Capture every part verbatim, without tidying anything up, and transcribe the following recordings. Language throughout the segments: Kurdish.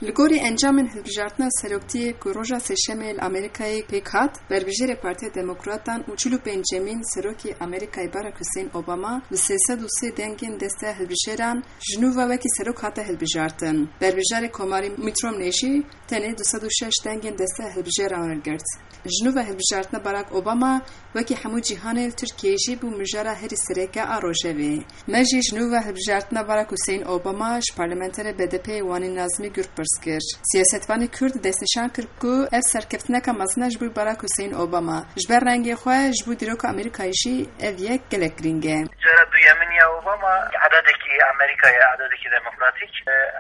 Li gorî encamên hilbijartina seroktiyê ku roja Sêşemê li Amerîkayê pêk hat, berbijêrê Partiya Demokratan û çil û pêncemîn serokê Amerîkayê Barack Hussein Obama bi sê sed û sê dengên desteya hilbijêran ji nû ve wekî serok hate hilbijartin. Berbijarê Komarî Mitt Romney jî tenê du sed û şeş dengên desteya hilbijêran wergirt. Ji nû ve hilbijartina Barack Obama wekî hemû cîhanê li Tirkiyeyê jî bû mijara herî sereke a rojevê. Me jî ji nû ve hilbijartina Barack Hussein Obama ji parlamenterê B D P'ê Wanî Nazmî Gür pirs kir. Siyasetvanê Kurd destnîşan kir ku ev serkeftineka mezin e ji bo Barack Hussein Obama. Ji ber rengê xwe ji bo dîroka Amerîkayê jî ev yek gelek girîng e. Cara duyemîn ya Obama edadekî Amerîka ye, edadekî demokratîk.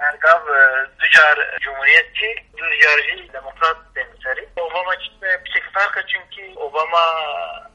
Her gav, e, du car cumhuriyetçî, du car jî demokrat tên serî. Obama çi piçek ferq e, çunkî Obama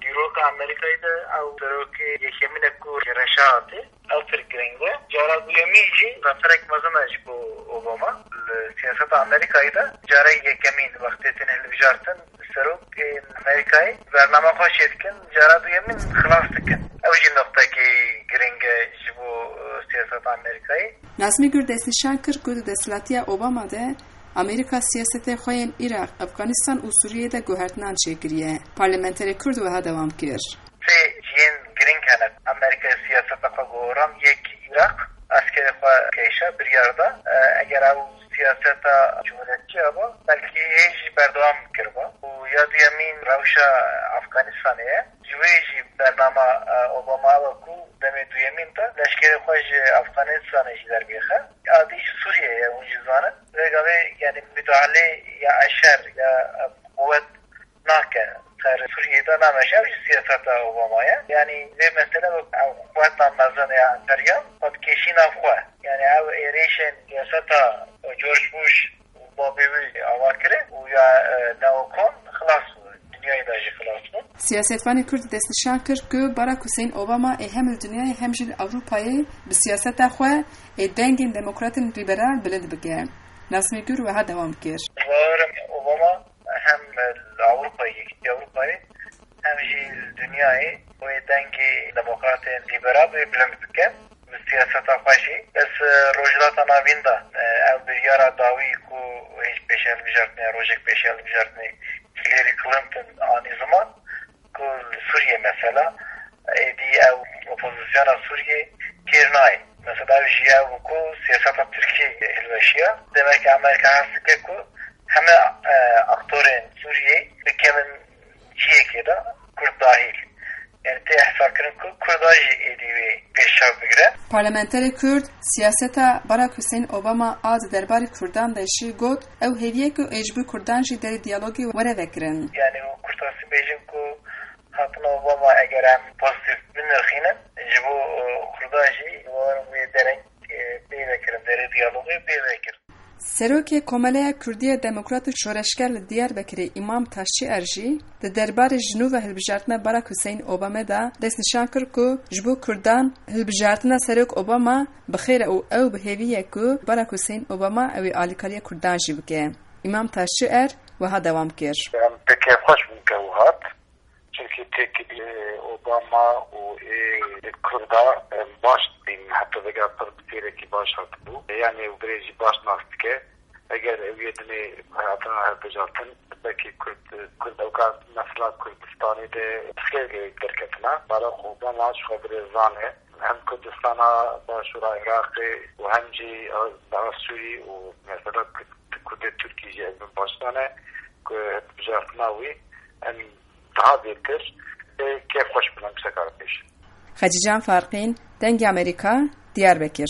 dîroka Amerîkayê de ew serokê yekemîn e ku reşa hatî. Ew pir giring e. Cara duyemîn jî zaferek mezin e ji bo Obama. Li siyaseta Amerîkayê de cara yekemîn wextê tên hilbijartin serokên Amerîkayê bernama xwe çêdikin, cara duyemîn xilas dikin. Ew jî noqtekî giring e ji bo, e, siyaseta Amerîkayê. Nazmî Gür destnîşan kir ku di desthilatiya Obama de Amerîka siyasetê xwe yên Iraq, Efxanistan û Sûriyeyê de guhertinan çêkiriye. Parlamenterê Kurd wiha dewam kir. Sê cihên giring hene. Amerîkayê siyaseta xwe goran, yek Iraq, eskerê xwe kêşa, biryar da. E, eger ew siyaseta cumhuriyetçiya ba, belkî hê jî berdewam kirba. Û ya duyemîn rewşa Afganistanê ye. Ji wê jî bernama, e, Obama ew e ku demê duyemîn de leşkerê xwe ji Afganistanê jî derbixe. Adî ji Sûriyeyê ye, hûn jî zanin. Vê gavê, yanî, müdahale ya eşer ya, e, quwet nake ser Sûriyê de, nameşe, ew jî siyaseta Obama ye. Yanî vê mesele wek ew quweta mezin ya emperyal xwe dikêşî nav xwe. Yanî ew êrîşên siyaseta George Bush û babê wî ava kirin û ya, e, neokon xilas bû. Dinyayê de jî xilas bû. Siyasetvanê Kurd destnîşan kir ku Barack Hussein Obama ê hem li dinyayê hem jî li Ewropayê bi siyaseta xwe ê dengên demokratên lîberal bilind bike. Nazmî Gür wiha dewam kir. Bawerim Obama hem li Ewropayê, Yekîtiya Ewropayê, hem jî li dinyayê wê dengê demokratên lîberal wê bilind bike. Bi siyaseta xwe jî. Ez, e, Rojhilata Navîn de, e, ew biryara dawî ku hêj pêşe hilbijartinê, rojek pêşe hilbijartinê Hillary Clinton anî ziman, ku li Sûriyê mesela, êdî ew opozisyona Sûriyê kêr nayê. Mesela ew jî ew ku siyaseta Tirkiyê hilweşiya. Demek ki Amerîka hez dike ku heme, e, aktorên Sûriyê bikevin cihekê de, Kurd dahil. Yani tê hesabkirin ku Kurda jî êdî wê pêşçav bigire. Parlamenterê Kurd siyaseta Barack Hussein Obama a di derbarê Kurdan de jî got, ew hêviye ku ê ji bo Kurdan jî derê diyalogê were vekirin. Yani û kurtasî bêjin ku hatina Obama eger em pozîtîf binirxînin, ji bo, e, Kurda jî bawerim wê derek, e, pê vekirin, derê diyalogê pê vekirin. Serokê Komeleya Kurdî ya Demokrat û Şoreşger li Diyarbekirê Îmam Taşçîer jî di derbarê ji nû ve hilbijartina Barack Hussein Obama de destnîşan kir ku ji bo Kurdan hilbijartina Serok Obama bi xêr e û ew bi hêvî ye ku Barack Hussein Obama ew ê alîkariya Kurdan jî bike. Îmam Taşçîer wiha dewam kir. Em pê kêfxweş bûn ku ew hat. Çimkî têkilî Obama û ê Kurda, em, baş dibînin, heta vêga pir bi têrekî baş hatibû. Yanî ew birê jî baş nas dike. Eger ew yê dinê hatina hilbijartin, belkî Kurd, Kurd ewka mesela Kurdistanê de pirsgirêk derketina. Barack Obama ji xwe birêzan e. Hem Kurdistana Başûra Iraqê û hem jî, e, daha Sûrî û mesela Kurd-, Kurdê Tirkî jî ez bin başdan e ku hilbijartina wî em daha bêtir, ê, kêfxweş bin em sekar pêş. Xecîcan Farqîn, Dengê Amerîka, Diyarbekir.